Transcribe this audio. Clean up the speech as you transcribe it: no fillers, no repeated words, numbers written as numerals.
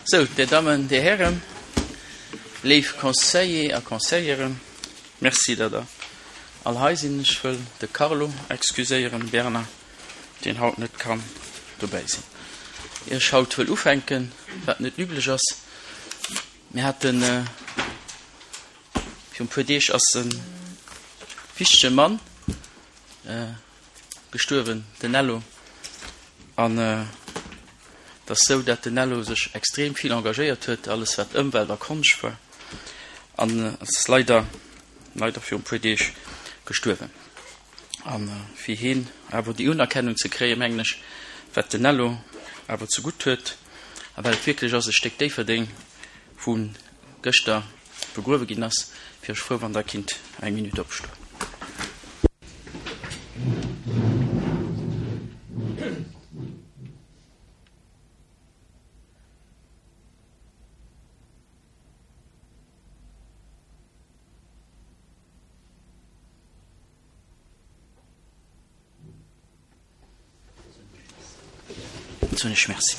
Sou, Dir Dammen, Dir Hären, léif Conseiller a Conseilleren, Merci, datt Der all hei sinn. Ech wëll de Carlo excuséieren, Bernard, deen haut net kann dobäi sinn. Ier ech haut wëll ufänken, wat net üblech ass, mir haten virun e puer Deeg ass e wichtege Mann gestuerwen, den Nello. An et ass sou, dat den Nello sech extrem vill engagéiert huet, alles wat Ëmwelt a Konscht war. An ass leider, leider virun e puer Deeg gestuerwen. A fir heen awer déi Unerkennung ze kréien, mengen ech, wat den Nello awer zegutt huet, a well et wierklech ass e Stéck Déifferdeng, wou gëschter begruewe ginn ass, wier ech frou, wann Der kinnt eng Minutt opstoen. Soen ech Merci.